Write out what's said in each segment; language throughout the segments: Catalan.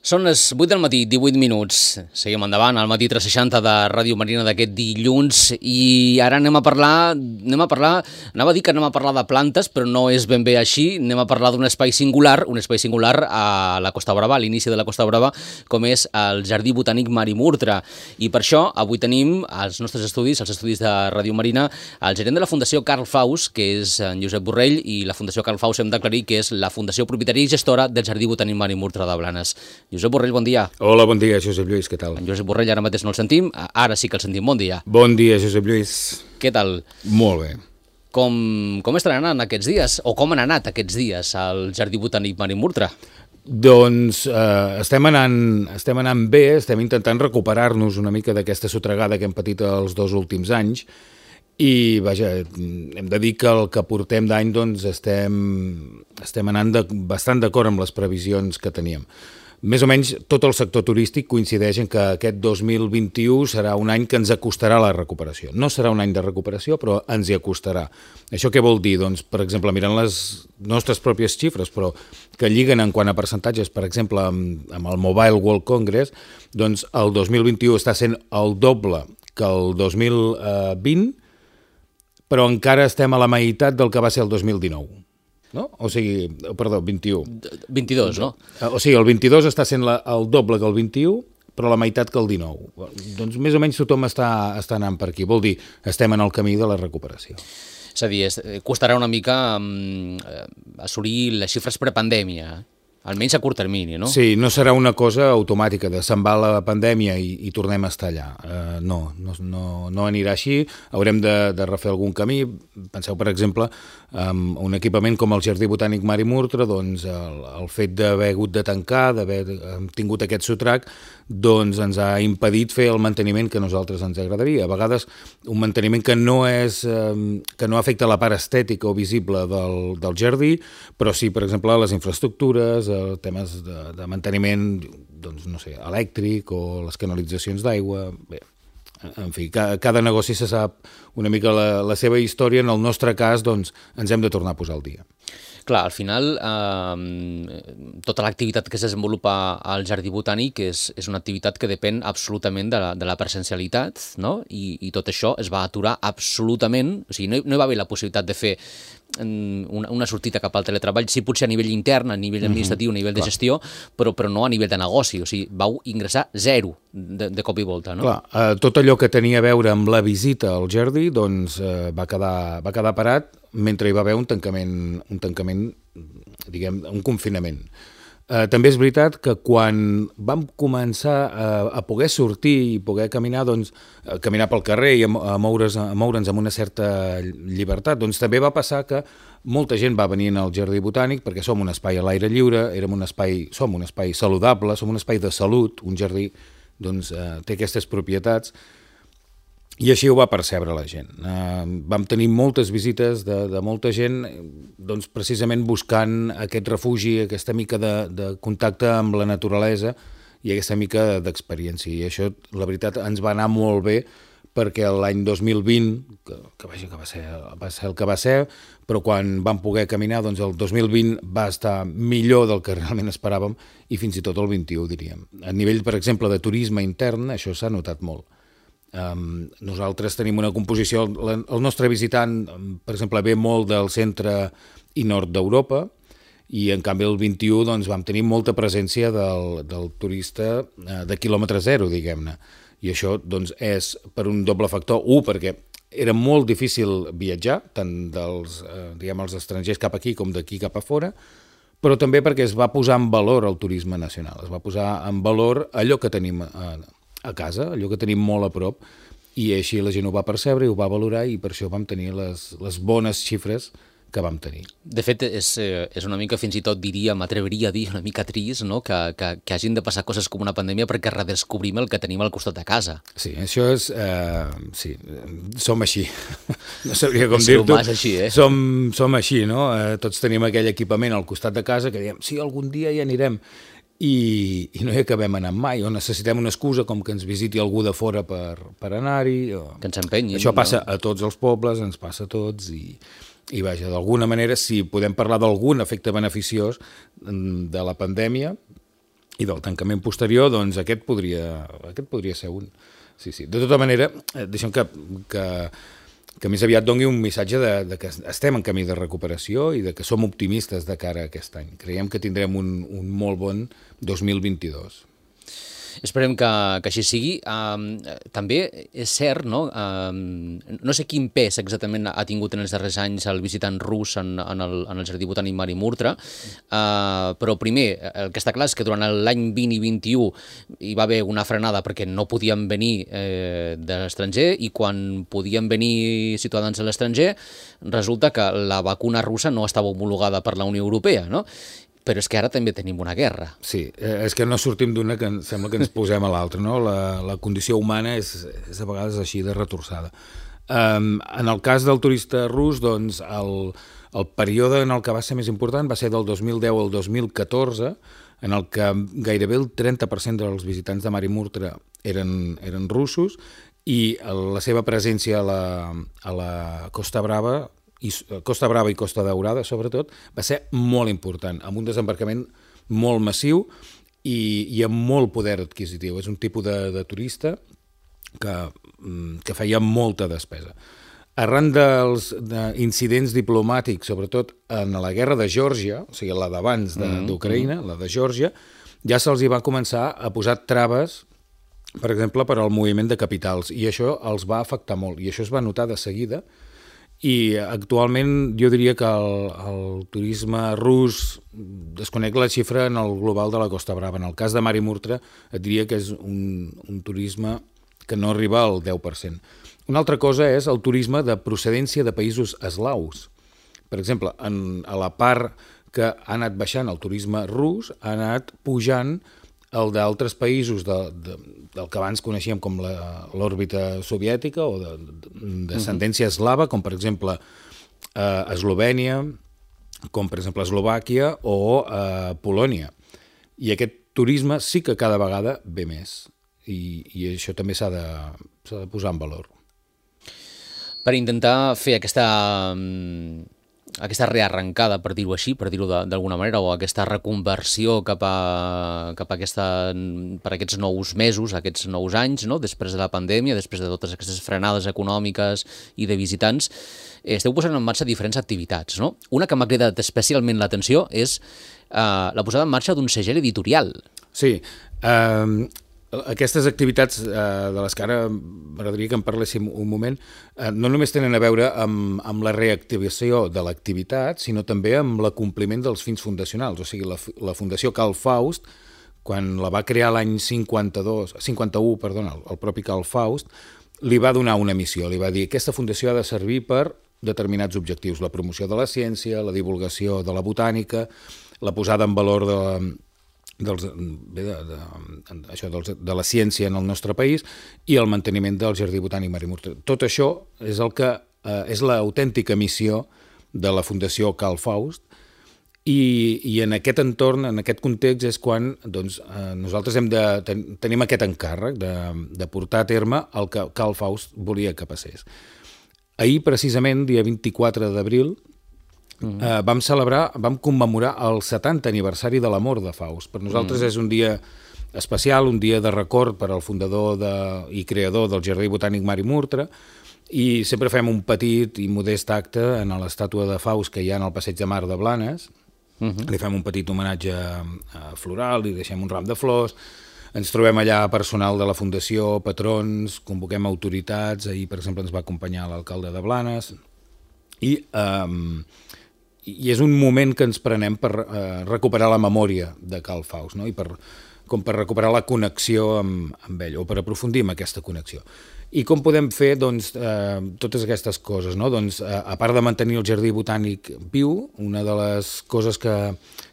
Són les 8 del matí, 18 minuts. Seguim endavant, al matí 360 de Ràdio Marina d'aquest dilluns, i ara anava a dir que anem a parlar de plantes, però no és ben bé així. Anem a parlar d'un espai singular a la Costa Brava, a l'inici de la Costa Brava, com és el Jardí Botànic Marimurtra. I per això avui tenim als nostres estudis, als estudis de Ràdio Marina, el gerent de la Fundació Carl Faus, que és en Josep Borrell, i la Fundació Carl Faus hem d'aclarir que és la fundació propietària i gestora del Jardí Botànic Marimurtra de Blanes. Josep Borrell, bon dia. Hola, bon dia, Josep Lluís, què tal? En Josep Borrell ara mateix no el sentim, ara sí que el sentim, bon dia. Bon dia, Josep Lluís. Què tal? Molt bé. Com estan anant aquests dies, o com han anat aquests dies al Jardí Botànic Marimurtra? Doncs estem anant bé, estem intentant recuperar-nos una mica d'aquesta sotregada que hem patit els 2 últims anys, i vaja, hem de dir que el que portem d'any doncs estem anant bastant d'acord amb les previsions que teníem. Més o menys tot el sector turístic coincideix en que aquest 2021 serà un any que ens acostarà a la recuperació. No serà un any de recuperació, però ens hi acostarà. Això què vol dir? Doncs, per exemple, mirant les nostres pròpies xifres, però que lliguen en quant a percentatges, per exemple, amb el Mobile World Congress, doncs el 2021 està sent el doble que el 2020, però encara estem a la meitat del que va ser el 2019. No? O sigui, perdó, 21. 22, no? O sigui, el 22 està sent el doble que el 21, però la meitat que el 19. Doncs més o menys tothom està anant per aquí. Vol dir, estem en el camí de la recuperació. És a dir, costarà una mica assolir les xifres prepandèmia, almenys a curt termini, no? Sí, no serà una cosa automàtica de se'n va la pandèmia i tornem a estar allà. No anirà així, haurem de refer algun camí. Penseu, per exemple, un equipament com el Jardí Botànic Marimurtra, doncs el fet d'haver hagut de tancar, d'haver tingut aquest sotrac, doncs ens ha impedit fer el manteniment que a nosaltres ens agradaria. A vegades un manteniment que no afecta la part estètica o visible del jardí, però sí, per exemple, les infraestructures, temes de manteniment, doncs, no sé, elèctric o les canalitzacions d'aigua. Bé, en fi, cada negoci se sap una mica la seva història. En el nostre cas, doncs, ens hem de tornar a posar al dia. Clar, al final, tota l'activitat que es desenvolupa al Jardí Botànic és una activitat que depèn absolutament de la presencialitat, no? I tot això es va aturar absolutament. O sigui, no hi va haver la possibilitat de fer una sortida cap al teletreball, sí, potser a nivell intern, a nivell administratiu, a nivell de gestió, però no a nivell de negoci. O sigui, vau ingressar zero de cop i volta, no? Clar, tot allò que tenia a veure amb la visita al jardí, doncs va quedar parat mentre hi va haver un tancament, diguem, un confinament. També és veritat que quan vam començar a poder sortir i poder caminar, doncs, caminar pel carrer i a moure'ns amb una certa llibertat, doncs també va passar que molta gent va venir al Jardí Botànic perquè som un espai a l'aire lliure, som un espai saludable, som un espai de salut, un jardí doncs, té aquestes propietats, i així ho va percebre la gent. Vam tenir moltes visites de molta gent, doncs, precisament buscant aquest refugi, aquesta mica de contacte amb la naturalesa i aquesta mica d'experiència. I això, la veritat, ens va anar molt bé, perquè l'any 2020, que va ser el que va ser, però quan vam poder caminar, doncs el 2020 va estar millor del que realment esperàvem, i fins i tot el 21, diríem. A nivell, per exemple, de turisme intern, això s'ha notat molt. Nosaltres tenim una composició, el nostre visitant, per exemple, ve molt del centre i nord d'Europa, i en canvi el 21 doncs, vam tenir molta presència del turista de quilòmetre zero, diguem-ne. I això doncs, és per un doble factor. Perquè era molt difícil viatjar, tant dels estrangers cap aquí com d'aquí cap a fora, però també perquè es va posar en valor el turisme nacional, es va posar en valor allò que tenim a casa, allò que tenim molt a prop, i així la gent ho va percebre i ho va valorar, i per això vam tenir les bones xifres que vam tenir. De fet, és una mica, fins i tot diria, m'atreviria a dir, una mica trist, no? que hagin de passar coses com una pandèmia perquè redescobrim el que tenim al costat de casa. Sí, això és... sí, som així. No sabria com dir-t'ho. És així, Som així, no? Tots tenim aquell equipament al costat de casa que diem, sí, algun dia hi anirem. I no hi acabem anant mai, o necessitem una excusa com que ens visiti algú de fora per anar-hi. Que ens empenyin. Això passa a tots els pobles, ens passa a tots, i vaja, d'alguna manera, si podem parlar d'algun efecte beneficiós de la pandèmia, i del tancament posterior, doncs aquest podria ser un. Sí, sí. De tota manera, deixem que més aviat doni un missatge de que estem en camí de recuperació i de que som optimistes de cara a aquest any. Creiem que tindrem un molt bon 2022. Esperem que així sigui. També és cert, no? No sé quin pes exactament ha tingut en els darrers anys el visitant rus en el Jardí Botànic Mari Murtra, però primer, el que està clar és que durant l'any 20 i 21 hi va haver una frenada perquè no podien venir de l'estranger, i quan podien venir ciutadans de l'estranger resulta que la vacuna russa no estava homologada per la Unió Europea, no? Però és que ara també tenim una guerra. Sí, és que no sortim d'una que sembla que ens posem a l'altra, no? La condició humana és a vegades així de retorçada. En el cas del turista rus, doncs, el període en el que va ser més important va ser del 2010 al 2014, en el que gairebé el 30% dels visitants de Mari Murtra eren russos, i la seva presència a la Costa Brava i Costa Daurada, sobretot, va ser molt important, amb un desembarcament molt massiu i amb molt poder adquisitiu. És un tipus de turista que feia molta despesa. Arran dels incidents diplomàtics, sobretot en la guerra de Geòrgia, o sigui, la d'abans d'Ucraïna, la de Geòrgia, ja se'ls hi va començar a posar traves, per exemple, per al moviment de capitals, i això els va afectar molt, i això es va notar de seguida. I actualment jo diria que el turisme rus, desconec la xifra en el global de la Costa Brava. En el cas de Mari Murtra et diria que és un turisme que no arriba al 10%. Una altra cosa és el turisme de procedència de països eslaus. Per exemple, a la part que ha anat baixant el turisme rus, ha anat pujant el d'altres països del que abans coneixíem com l'òrbita soviètica o d'ascendència eslava, com per exemple Eslovènia, com per exemple Eslovàquia o Polònia. I aquest turisme sí que cada vegada ve més, i això també s'ha de posar en valor. Per intentar fer aquesta rearrencada, per dir-ho així, per dir-ho d'alguna manera, o aquesta reconversió cap a aquests nous mesos, aquests nous anys, no? Després de la pandèmia, després de totes aquestes frenades econòmiques i de visitants, esteu posant en marxa diferents activitats, no? Una que m'ha cridat especialment l'atenció és la posada en marxa d'un segell editorial. Sí, aquestes activitats de les que ara m'agradaria que en parléssim un moment no només tenen a veure amb la reactivació de l'activitat, sinó també amb l'acompliment dels fins fundacionals. O sigui, la Fundació Carl Faust, quan la va crear l'any 51, el propi Carl Faust, li va donar una missió, li va dir que aquesta fundació ha de servir per determinats objectius: la promoció de la ciència, la divulgació de la botànica, la posada en valor de la ciència en el nostre país i el manteniment del Jardí Botànic Mari Murtra. Tot això és és l'autèntica missió de la Fundació Carl Faust, i en aquest entorn, en aquest context, és quan nosaltres tenim aquest encàrrec de portar a terme el que Carl Faust volia que passés. Ahir, precisament, dia 24 d'abril, vam commemorar el 70 aniversari de la mort de Faust. Per nosaltres és un dia especial, un dia de record per al fundador i creador del Jardí Botànic Mari Murtra, i sempre fem un petit i modest acte en l'estàtua de Faust que hi ha en el Passeig de Mar de Blanes. Li fem un petit homenatge floral, li deixem un ram de flors, ens trobem allà personal de la Fundació, patrons, convoquem autoritats. Ahir, per exemple, ens va acompanyar l'alcalde de Blanes, i és un moment que ens prenem per recuperar la memòria de Carl Faust, no? I com per recuperar la connexió amb ell, o per aprofundir en aquesta connexió. I com podem fer totes aquestes coses, no? A part de mantenir el Jardí Botànic viu, una de les coses que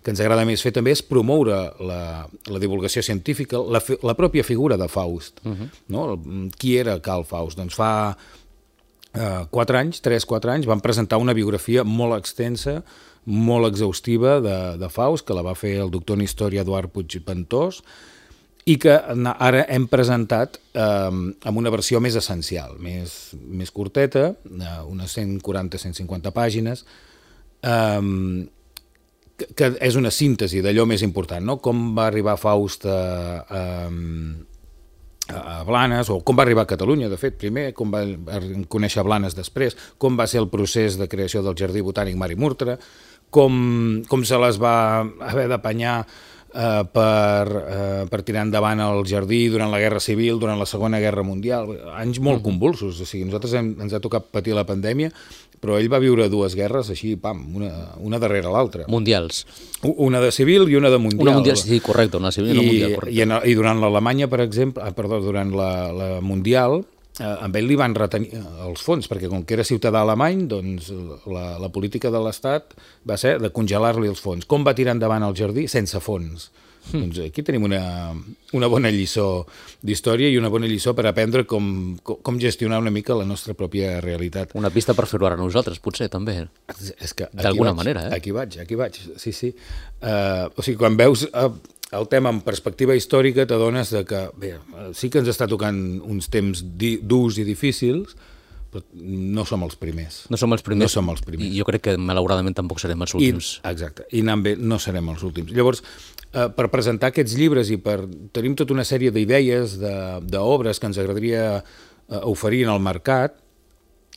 ens agrada més fer també és promoure la divulgació científica, la pròpia figura de Faust. No? Qui era Carl Faust? Doncs fa 3-4 anys, van presentar una biografia molt extensa, molt exhaustiva de Faust, que la va fer el doctor en història Eduard Puigventós, i que ara hem presentat amb una versió més essencial, més curteta, unes 140-150 pàgines, que és una síntesi d'allò més important, no? Com va arribar Faust a Blanes, o com va arribar a Catalunya, de fet, primer, com va conèixer Blanes després, com va ser el procés de creació del Jardí Botànic Mari Murtra, com se les va haver d'apanyar per tirar endavant el jardí durant la Guerra Civil, durant la Segona Guerra Mundial, anys molt convulsos. O sigui, nosaltres ens ha tocat patir la pandèmia, però ell va viure dues guerres així, pam, una darrere l'altra. Mundials. Una de civil i una de mundial. Una mundial, sí, correcte, una civil i una mundial, correcte. I durant l'Alemanya, per exemple, durant la mundial, amb ell li van retenir els fons, perquè com que era ciutadà alemany, doncs la política de l'Estat va ser de congelar-li els fons. Com va tirar endavant el jardí? Sense fons. Doncs aquí tenim una bona lliçó d'història i una bona lliçó per aprendre com gestionar una mica la nostra pròpia realitat. Una pista per fer-ho ara nosaltres, potser, també. D'alguna manera, eh? Aquí vaig, sí. O sigui, quan veus el tema en perspectiva històrica t'adones que, bé, sí que ens està tocant uns temps durs i difícils, però no som els primers. No som els primers. No som els primers. I jo crec que, malauradament, tampoc serem els últims. Exacte. I anant bé, no serem els últims. Llavors, per presentar aquests llibres i tenim tota una sèrie d'idees, d'obres que ens agradaria oferir en el mercat,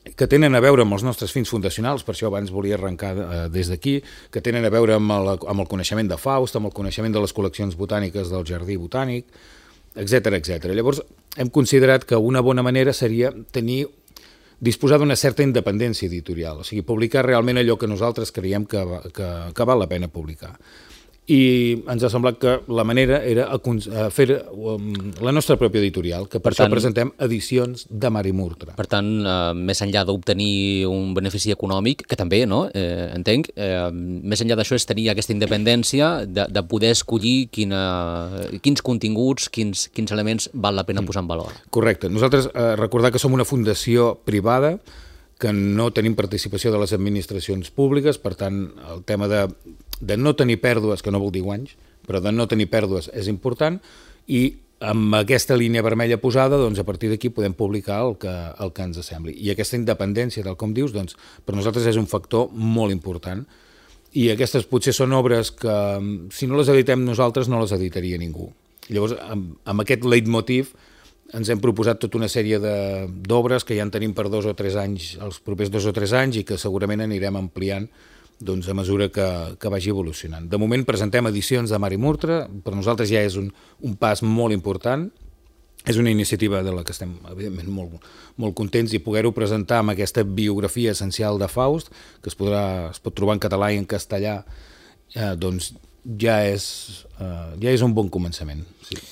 que tenen a veure amb els nostres fins fundacionals, per això abans volia arrencar des d'aquí, que tenen a veure amb el coneixement de Faust, amb el coneixement de les col·leccions botàniques del Jardí Botànic, etc. Llavors, hem considerat que una bona manera seria disposar d'una certa independència editorial, o sigui, publicar realment allò que nosaltres creiem que val la pena publicar. I ens ha semblat que la manera era fer la nostra pròpia editorial, que per això presentem edicions de Mari Murtra. Per tant, més enllà d'obtenir un benefici econòmic, que també, no? Entenc, més enllà d'això és tenir aquesta independència de poder escollir quins continguts, quins elements val la pena posar en valor. Correcte. Nosaltres recordar que som una fundació privada, que no tenim participació de les administracions públiques, per tant, el tema de no tenir pèrdues, que no vol dir guanys, però de no tenir pèrdues és important, i amb aquesta línia vermella posada, doncs a partir d'aquí podem publicar el que ens sembli. I aquesta independència, tal com dius, doncs, per nosaltres és un factor molt important, i aquestes potser són obres que, si no les editem nosaltres, no les editaria ningú. Llavors, amb aquest leitmotiv, ens hem proposat tota una sèrie d'obres que ja en tenim per 2 o 3 anys, els propers 2 o 3 anys, i que segurament anirem ampliant doncs, a mesura que vagi evolucionant. De moment presentem edicions de Mari Murtra, per nosaltres ja és un pas molt important, és una iniciativa de la que estem evidentment molt contents, i poder-ho presentar amb aquesta biografia essencial de Faust, que es pot trobar en català i en castellà, doncs ja és un bon començament, sí.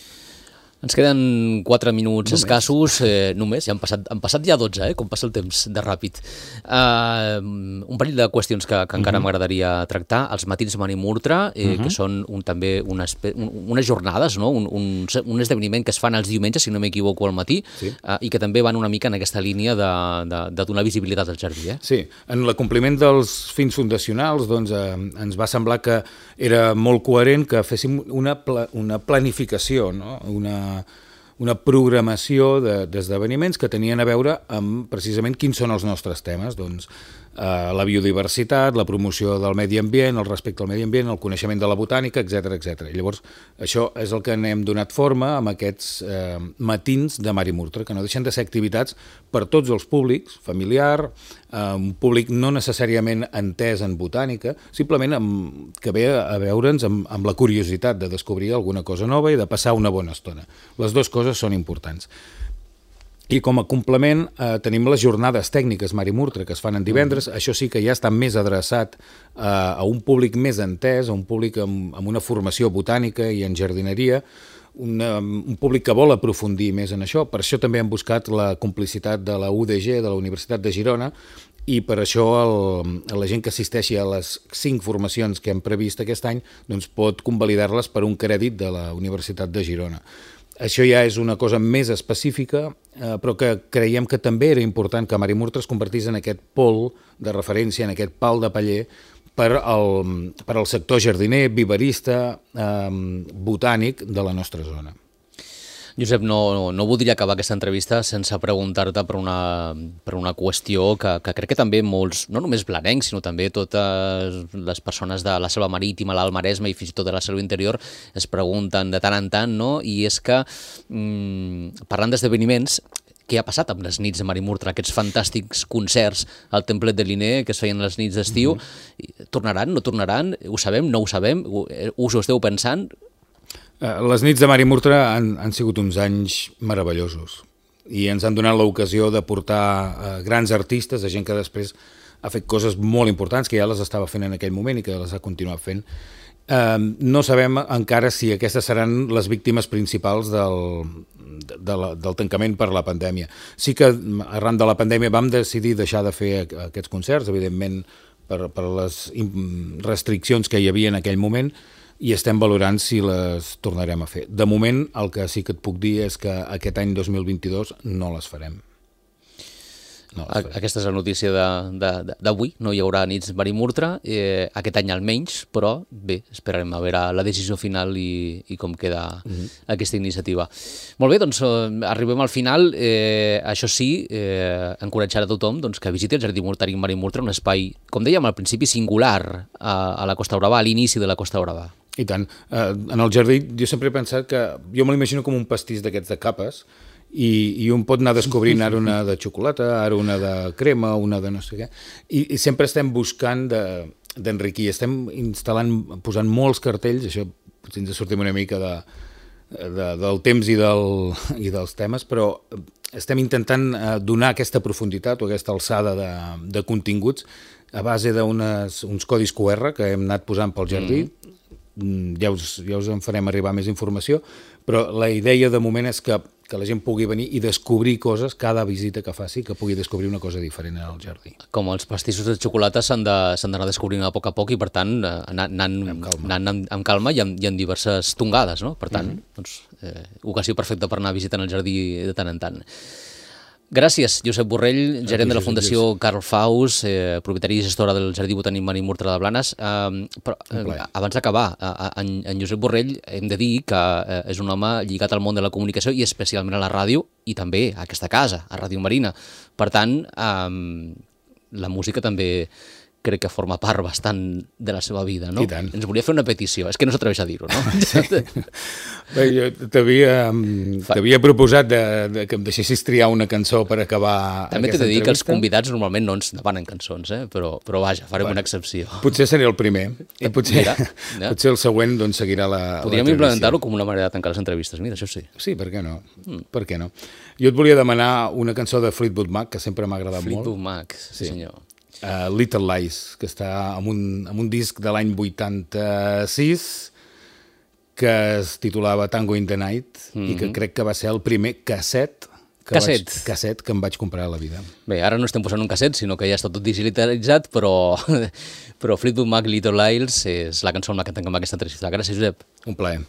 Ens queden 4 minuts escassos, només, ja han passat ja 12, com passa el temps de ràpid. Un parell de qüestions que encara m'agradaria tractar. Els matins Mari Murtra, que són també unes jornades, no? un esdeveniment que es fan els diumenges, si no m'equivoco, al matí, i que també van una mica en aquesta línia de donar visibilitat al jardí. Sí, en l'acompliment dels fins fundacionals doncs, ens va semblar que era molt coherent que féssim una planificació, no? Una programació d'esdeveniments que tenien a veure amb precisament quins són els nostres temes, doncs la biodiversitat, la promoció del medi ambient, el respecte al medi ambient, el coneixement de la botànica, etc. Llavors, això és el que n'hem donat forma amb aquests matins de Mari Murtra, que no deixen de ser activitats per tots els públics, familiar, un públic no necessàriament entès en botànica, simplement que ve a veure'ns amb la curiositat de descobrir alguna cosa nova i de passar una bona estona. Les dues coses són importants. I com a complement tenim les jornades tècniques Mari Murtra, que es fan en divendres. Això sí que ja està més adreçat a un públic més entès, a un públic amb una formació botànica i en jardineria, un públic que vol aprofundir més en això. Per això també hem buscat la complicitat de la UDG, de la Universitat de Girona, i per això la gent que assisteixi a les 5 formacions que hem previst aquest any doncs pot convalidar-les per un crèdit de la Universitat de Girona. Això ja és una cosa més específica, però que creiem que també era important que Mari Murtra es convertís en aquest pol de referència, en aquest pal de paller per al sector jardiner, viverista, botànic de la nostra zona. Josep, no voldria acabar aquesta entrevista sense preguntar-te per una qüestió que crec que també molts, no només blanencs, sinó també totes les persones de la Selva Marítima, l'Alt Maresme i fins i tot de la Selva Interior es pregunten de tant en tant, no? I és que, parlant d'esdeveniments, què ha passat amb les nits de Marimurtra, aquests fantàstics concerts al Templet de Liner que es feien les nits d'estiu? Tornaran, no tornaran? Ho sabem, no ho sabem? Us ho esteu pensant? Les nits de Marimurtra han sigut uns anys meravellosos i ens han donat l'ocasió de portar grans artistes, de gent que després ha fet coses molt importants, que ja les estava fent en aquell moment i que les ha continuat fent. No sabem encara si aquestes seran les víctimes principals del tancament per la pandèmia. Sí que arran de la pandèmia vam decidir deixar de fer aquests concerts, evidentment per les restriccions que hi havia en aquell moment, i estem valorant si les tornarem a fer. De moment, el que sí que et puc dir és que aquest any 2022 no les farem. Aquesta és la notícia d'avui, no hi haurà nits Marimurtra, aquest any almenys, però bé, esperarem a veure la decisió final i com queda aquesta iniciativa. Molt bé, doncs arribem al final. Això sí, encoratjar a tothom que visiti el Jardí Botànic Marimurtra, un espai, com dèiem al principi, singular a la Costa Brava, a l'inici de la Costa Brava. I tant. En el jardí jo sempre he pensat que, jo me l'imagino com un pastís d'aquests de capes, i un pot anar descobrint ara una de xocolata, ara una de crema, una de no sé què, i sempre estem buscant d'enriquir, estem instal·lant, posant molts cartells, això potser ens sortim una mica del temps i dels temes, però estem intentant donar aquesta profunditat o aquesta alçada de continguts a base d'uns codis QR que hem anat posant pel jardí. Ja us en farem arribar més informació, però la idea de moment és que la gent pugui venir i descobrir coses, cada visita que faci, que pugui descobrir una cosa diferent al jardí. Com els pastissos de xocolata s'han d'anar descobrint a poc i, per tant, anant amb calma i amb diverses tongades, no? Per tant, ocasió perfecta per anar visitant el jardí de tant en tant. Gràcies, Josep Borrell, gerent de la Fundació Carl Faus, propietari i gestora del Jardí Botànic Marimurtra de Blanes. Però abans d'acabar, en Josep Borrell hem de dir que és un home lligat al món de la comunicació i especialment a la ràdio i també a aquesta casa, a Ràdio Marina. Per tant, la música també crec que forma part bastant de la seva vida, no? I tant. Ens volia fer una petició, és que no s'atreveix a dir-ho, no? Sí. Bé, jo t'havia proposat que em deixessis triar una cançó per acabar també aquesta entrevista. També t'he de dir que els convidats normalment no ens demanen cançons, però vaja, farem una excepció. Potser seré el primer, i potser el següent doncs, seguirà la podríem implementar-ho com una manera de tancar les entrevistes, mira, això sí. Sí, per què no? Per què no? Jo et volia demanar una cançó de Fleetwood Mac, que sempre m'ha agradat molt. Fleetwood Mac, sí senyor. Little Lies, que està amb un disc de l'any 86 que es titulava Tango in the Night i que crec que va ser el primer casset que em vaig comprar a la vida. Bé, ara no estem posant un casset, sinó que ja està tot digitalitzat, però Fleetwood Mac, Little Lies és la cançó amb la que tanquem aquesta entrevista. Gràcies, Josep. Un plaer.